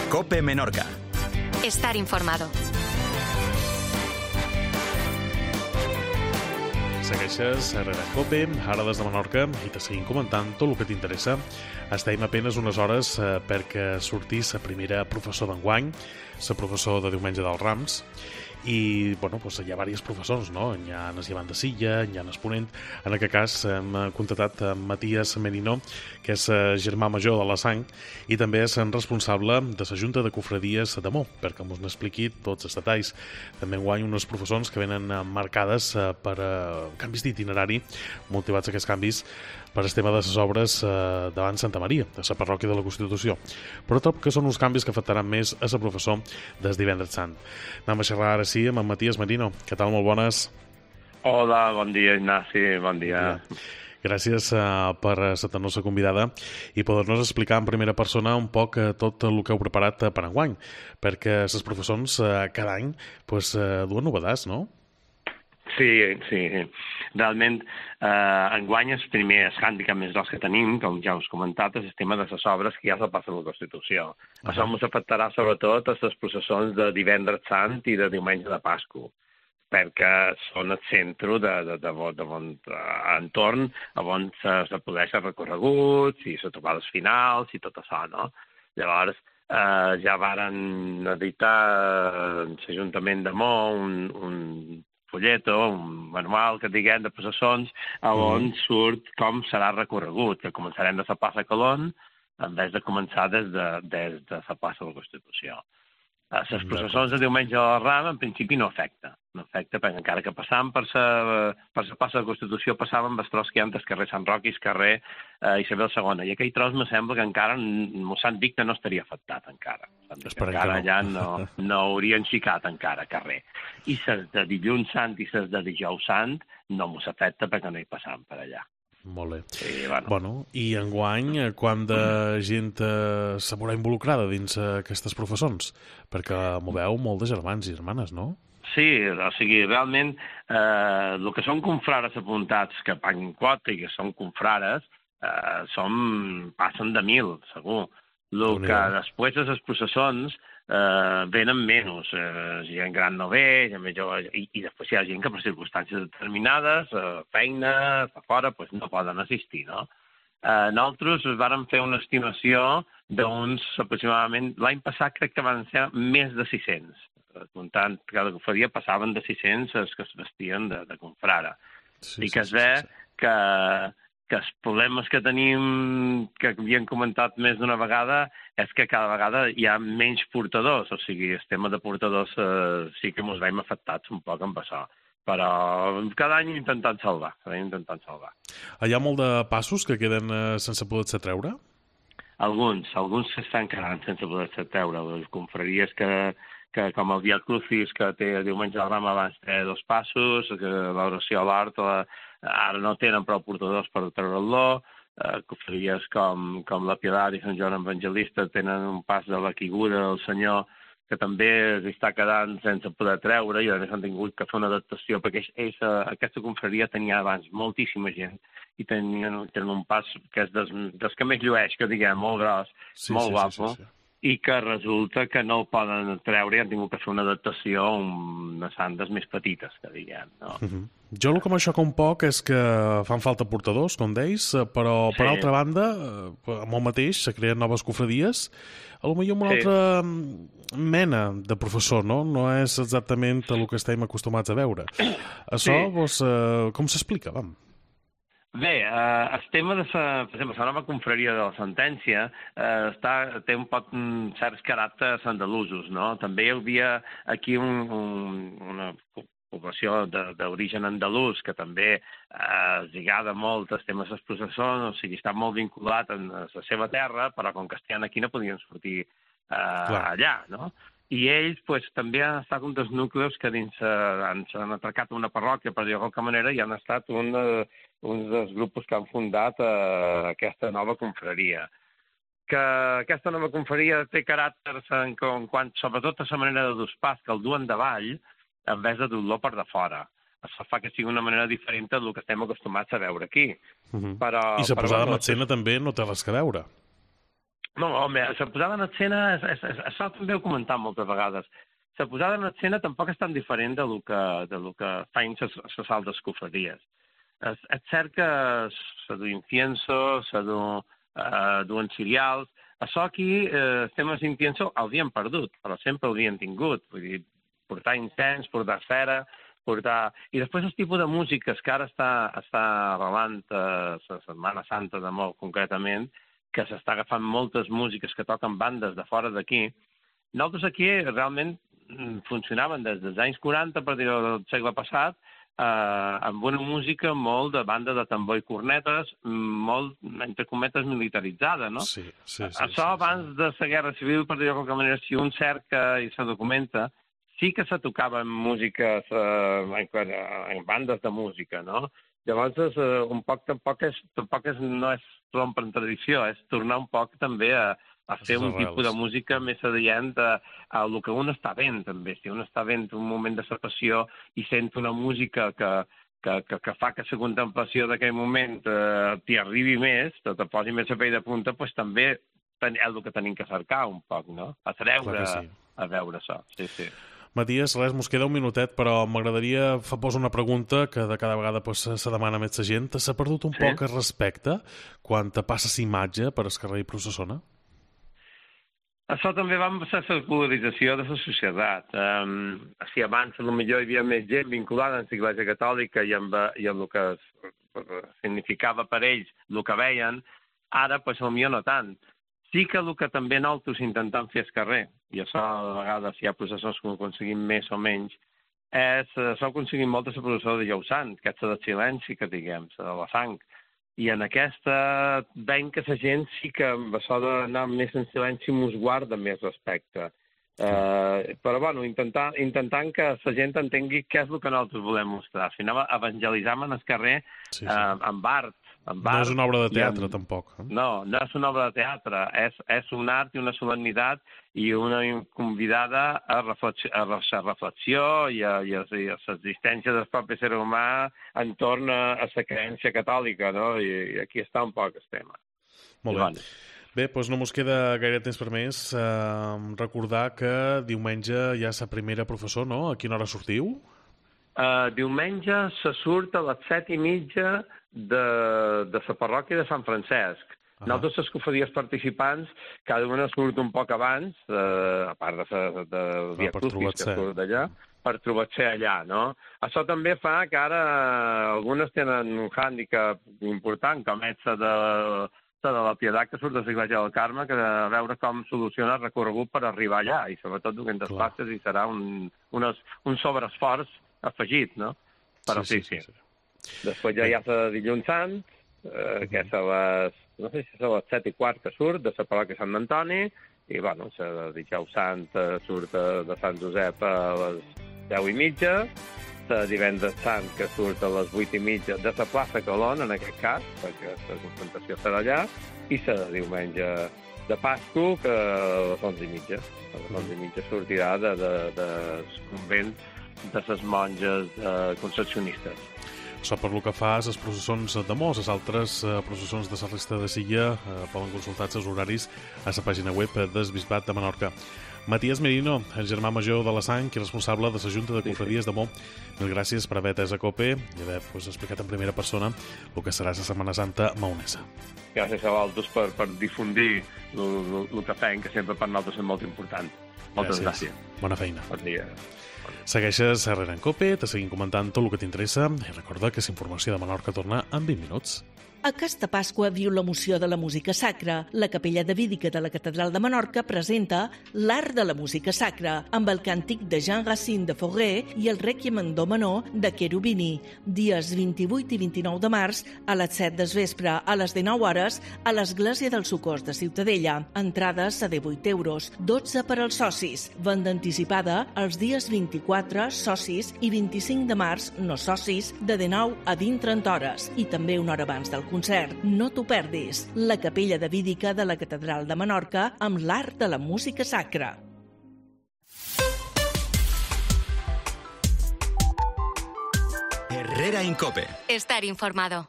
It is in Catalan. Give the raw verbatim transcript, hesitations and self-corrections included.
COPE Menorca. Estar informado. Segueixes a COPE, ara des de Menorca, i te seguim comentant tot el que t'interessa. Estem a penes unes hores eh, perquè sortís la primera professor d'enguany, la professor de diumenge dels Rams, i bueno, doncs hi ha diversos professors, no? Hi ha el Llevant de Silla, hi ha el Ponent. En aquest cas hem contactat amb Matías Merino, que és germà major de la Sang i també és responsable de la Junta de Cofradies d'Amor, perquè ens n'expliqui tots els detalls. També enguany unes professors que venen marcades per canvis d'itinerari, motivats aquests canvis per el tema de les obres davant Santa Maria, de la parròquia de la Constitució. Però tot que són uns canvis que afectaran més a la professor des divendres sant. Anem a xerrar ara sí amb en Matías Merino. Què tal? Molt bones. Hola, bon dia, Ignasi, bon dia. Bon dia. Gràcies uh, per ser-nos convidada i poder-nos explicar en primera persona un poc uh, tot el que heu preparat uh, per enguany, perquè els professors uh, cada any pues, uh, duen novetats, no? Sí, sí. Realment, eh, enguany el primer hàndicap més gros que tenim, com ja us he comentat, és el tema de les obres que ja se passen a la Constitució. Uh-huh. Això ens afectarà sobretot a les processons de divendres sant i de diumenge de Pasqua, perquè són el centre de, de, de, de, de bon entorn on se, se produeixen recorreguts i se trobades finals i tot això, no? Llavors, eh, ja varen editar eh, l'Ajuntament de Mó un, un folleto, un manual, que diguem, de processons, on mm. surt com serà recorregut, que començarem de la plaça Colón, en vez de començar des de, des de la plaça de la Constitució. Les processons de diumenge de la Ram, en principi, no afecta. No afecta, perquè encara que passàvem per la per la plaça de la Constitució, passàvem amb els tros que hi ha del carrer Sant Roc i el carrer eh, Isabel segona. I aquell tros me sembla que encara, m'ho s'han dit que no estaria afectat encara. Encara no. allà no, no haurien xicat encara carrer. I les de dilluns sant i les de dijous sant no m'ho s'afecta perquè no hi passàvem per allà. Molt bé. Sí, bueno. Bueno, i enguany, quant de gent eh, se veurà involucrada dins eh, aquestes professons? Perquè moveu molt de germans i germanes, no? Sí, o sigui, realment, eh, el que són confrares apuntats que paguen quota i que són confrares, eh, som, passen de mil, segur. El que després de les processons eh, venen menys. Eh, gent gran no ve, gent més jove, i, i després hi ha gent que per circumstàncies determinades, eh, feina, a fora, pues no poden assistir, no? Eh, nosaltres vàrem fer una estimació d'uns aproximadament... L'any passat crec que van ser més de sis-cents. Comptant que cada cofradia passaven de sis-cents els que es vestien de, de confrara. Sí, I que es ve sí, sí, sí. que... que els problemes que tenim, que havíem comentat més d'una vegada, és que cada vegada hi ha menys portadors. O sigui, el tema de portadors eh, sí que ens veiem afectats un poc amb això. Però cada any intentant salvar. Cada any intentant salvar. Hi ha molt de passos que queden eh, sense poder-se treure? Alguns. Alguns s'estan quedant sense poder-se treure. Les confraries que, que com el Via Crucis, que té diumenge de Rama abans té dos passos, que l'oració a l'hort, la ara no tenen prou portadors per treure-lo, eh, cofraries com, com la Piedad i Sant Joan Evangelista tenen un pas de la quiguda del Senyor que també està quedant sense poder treure i a més han tingut que fer una adaptació perquè ells, aquesta confraria tenia abans moltíssima gent i tenien, tenen un pas que és des, des que més llueix, que diguem, molt gros, sí, molt sí, guapo, sí, sí, sí. I que resulta que no el poden treure i han tingut que fer una adaptació a unes sandes més petites, que diguem, no? Uh -huh. Jo el que m'aixoca un poc és que fan falta portadors, com deis, però per sí. altra banda, amb el mateix, se creen noves cofradies, a lo millor amb una sí. altra mena de professor, no? No és exactament el que estem acostumats a veure. Això, sí. doncs, eh, com s'explica, vam? Bé, eh, el tema de la, per exemple, la nova confraria de la sentència eh, està, té un poc um, certs caràcters andalusos, no? També hi havia aquí un, un, una població d'origen andalús que també eh, es lligada molt als temes dels processons, o sigui, està molt vinculat a la seva terra, però com que estan aquí no podien sortir eh, allà, no? I ells pues, també han estat un dels núcleos que dins eh, han, han atracat una parròquia, per dir-ho de qualque manera, i han estat un, eh, un dels grups que han fundat eh, aquesta nova confraria. Que aquesta nova confraria té caràcters en, en quant, sobretot a la manera de dur pas, que el duen davall, en vez de dur-lo per de fora. Això fa que sigui una manera diferent del que estem acostumats a veure aquí. Uh -huh. però, I la posada bueno, en escena també no té res que veure. No, home, la posada en escena, és, és, és, això també ho he comentat moltes vegades, la posada en escena tampoc és tan diferent de lo que, de lo que fan les altres cofradies. És, és cert que se du incienso, se du, uh, duen cereals. Això aquí, eh, els temes incienso, l'havien perdut, però sempre l'havien tingut. Vull dir, portar incens, portar cera, portar... I després el tipus de músiques que ara està, està arrelant a la Setmana Santa de molt concretament, que s'està agafant moltes músiques que toquen bandes de fora d'aquí. Nosaltres aquí realment funcionaven des dels anys quaranta, per dir-ho del segle passat, eh, amb una música molt de banda de tambor i cornetes, molt, entre cometes, militaritzada, no? Sí, sí, sí. Això sí, abans sí. de la Guerra Civil, per dir-ho de qualque manera, si un cerca i se documenta, sí que se tocava en músiques, eh, en, en bandes de música, no? Llavors, eh, un poc tampoc, és, tampoc és, no és rompre en tradició, és tornar un poc també a, a fer un tipus de música més adient a, a el que un està fent, també. Si un està fent un moment de passió i sent una música que, que, que, que fa que la contemplació d'aquell moment eh, t'hi arribi més, te, te posi més a pell de punta, doncs també és el que tenim que cercar un poc, no? A treure, sí. a veure això, sí, sí. Matías, res, mos queda un minutet, però m'agradaria fer posar una pregunta que de cada vegada pues, se demana més la gent. S'ha perdut un sí? poc el respecte quan te passes imatge per el carrer i processona? Això també va ser la polarització de la societat. Um, si abans potser hi havia més gent vinculada amb l'Església Catòlica i amb, i amb el que significava per ells el que veien, ara potser no tant. Sí que el que també nosaltres intentem fer al carrer, i això a vegades hi ha processors que ho aconseguim més o menys, és això aconseguim molta la processó de Jou Sant, que és la de silenci que diguem, la de la sang. I en aquesta veiem que la gent sí que amb això d'anar més en silenci mos guarda més respecte. Uh, però bueno, intentar, intentant que la gent entengui què és el que nosaltres volem mostrar. Si anem evangelitzant en el carrer sí, sí. Uh, amb art, amb art. No és una obra de teatre, amb... tampoc. Eh? No, no és una obra de teatre. És, és un art i una solemnitat i una convidada a, reflex... a la reflexió i a, i a, i a l'existència del propi ser humà entorn a, a la creença catòlica, no? I, i aquí està un poc el tema. Molt bé. Bueno. Bé, doncs no mos queda gaire temps per més. Uh, recordar que diumenge hi ha la primera professor, no? A quina hora sortiu? Uh, diumenge se surt a les set i mitja de, de la parròquia de Sant Francesc. Uh-huh. Nosaltres, les cofradies participants, cada una surt un poc abans, uh, a part de, de, de Via Crucis, que surt d'allà, per trobar-se allà, no? Això també fa que ara algunes tenen un hàndicap important, com és de... de la Pietat que surt de l'Església del Carme, que a veure com soluciona el recorregut per arribar allà, i sobretot duent les passes, i serà un, un, un sobreesforç afegit, no? Però sí, sí. sí. sí. Després ja hi ha la de Dilluns Sant, eh, que és a les, no sé si és a les set i quart que surt, de la parròquia Sant Antoni, i, bueno, la de Dijous Sant surt de Sant Josep a les deu i mitja, de divendres Sant, que surt a les vuit i mitja de la plaça Colón, en aquest cas, perquè la concentració serà allà, i la de diumenge de Pasco, que a les onze i mitja. A les onze i mitja sortirà de, de, de convent de les monges eh, concepcionistes. Això per lo que fa a les processons de Mos, les altres eh, processons de la resta de Silla eh, poden consultar els horaris a la pàgina web del Bisbat de Menorca. Matías Merino, el germà major de la Sang i responsable de la Junta de Confradies de Mo, mil gràcies per haver atès a COPE i haver pues, explicat en primera persona el que serà la Setmana Santa maonesa. Gràcies a vosaltres per, per difundir el que fem, que sempre per nosaltres és molt important. Moltes gràcies. gràcies. Bona feina. Bon dia. Segueixes Herrera en COPE, te seguim comentant tot el que t'interessa i recorda que la informació de Menorca torna en vint minuts. Aquesta Pasqua viu l'emoció de la música sacra. La Capella Davídica de la Catedral de Menorca presenta l'Art de la Música Sacra, amb el càntic de Jean-Racine de Fauré i el Requiem en do menor de Cherubini, dies vint-i-vuit i vint-i-nou de març a les set del vespre, a les dinou hores, a l'Església del Socors de Ciutadella. Entrades a divuit euros, dotze per als socis. Venda anticipada els dies vint-i-quatre, socis, i vint-i-cinc de març, no socis, de dinou a vint trenta hores, i també una hora abans del concert. No t'ho perdis. La Capella Davídica de la Catedral de Menorca amb l'Art de la Música Sacra. Herrera en COPE. Estar informado.